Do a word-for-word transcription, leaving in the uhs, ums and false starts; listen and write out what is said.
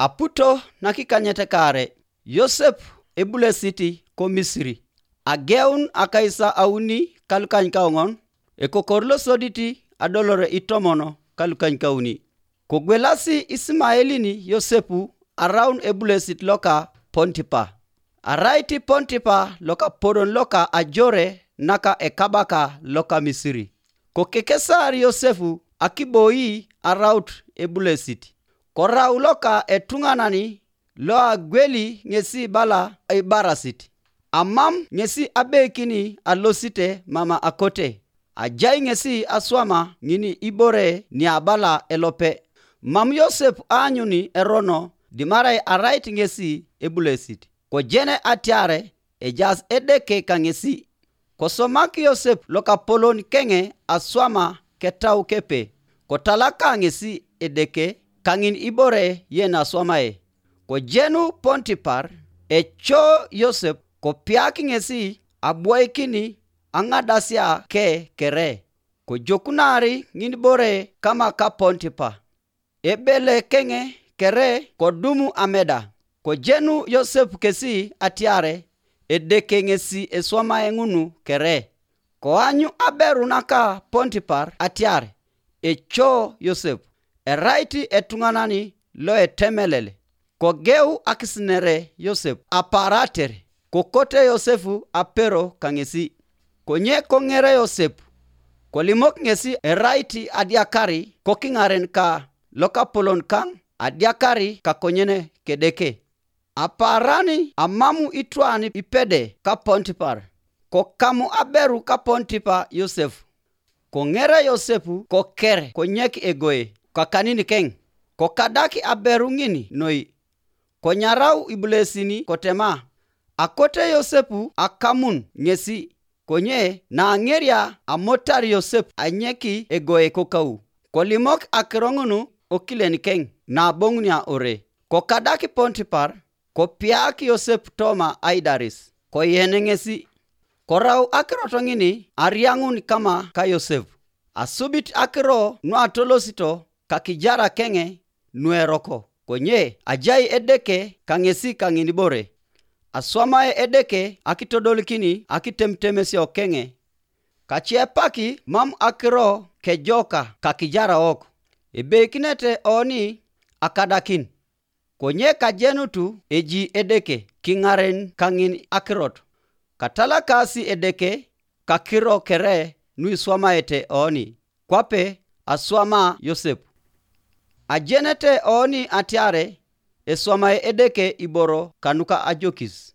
Aputo nakikanyet kaare, Yosep ebulesit ko Misiri. Ageun akais auni kalukanykaoŋon, ekokor losodit adolore itomon kalukanykauni. Kogwelasi Isimaelin Yosep araun ebulesit loka Pontipa. Arait Pontipa lokapolon loka ajore naka ekabaka loka Misiri. Kokekesar Yosep akiboi araut ebulesit. Korau loka etuŋanan loagweli ŋesi bala ibarasit. Amam ŋesi abeikini alosite mama akote. Ajai ŋesi aswama ŋin ibore niabala elope. Mam Yosep aanyuni erono dimarai arait ŋesi ebulesit. Kojene atiare ejaas Edeke kaŋesi. Kosomak Yosep lokapolon keŋe aswama ketau kepe, kotalaka ŋesi Edeke kaŋin ibore yen aswamae. Kojenu Pontipar, eco Yosep, kopiak ŋesi abwoikin aŋadasia ke kere, kojokunar ŋinibore kama ka Pontipa. Ebele keŋe kere kodumu ameda, kojenu Yosep kesi atiare Edeke ŋesi eswamae ŋunu kere. Koanyu aberu naka Pontipar atiar, eco Yosep, erait etuŋanan loetemelel. Kogeu akisinere Yosep aparater, kokote Yosep apero kaŋesi. Konye koŋere Yosep, kolimok ŋesi erait adiakar kokiŋaren ka lokapolon kaŋ adiakar kakonyen kedeke. Apaaran amam itwan ipede ka Pontipar, kokamu aberu ka Pontipa Yosep. Koŋere Yosep koker konyek egoe kakanikeŋ, kokadak aberu ŋin noi. Konyarau ibulesin kotema, akote Yosep akamun ŋesi. Konye naaŋeria amotar Yosep anyek egoe kokau, kolimok akiro ŋun okilen keŋ naboŋunia ore. Kokadak Pontipar, kopiak Yosep toma aidaris, koyen ŋesi. Korau akirot ŋin ariaŋun kama ka Yosep. Asubit akiro nuatolosito kakijara keŋe nueroko, konye ajai Edeke kaŋesi kaŋinibore. Aswamae Edeke akitodolikin akitemutemesio keŋe. Kaciepaki mam akiro kejoka kakijaraok, ebeikinete oni akadakin. Konye kajenutu eji Edeke kiŋaren kaŋin akirot, katalakasi Edeke kakiro kere nuiswamaete oni, kwape aswama Yosep. Ajenete oni atiare eswamae Edeke iboro kanuka ajokis.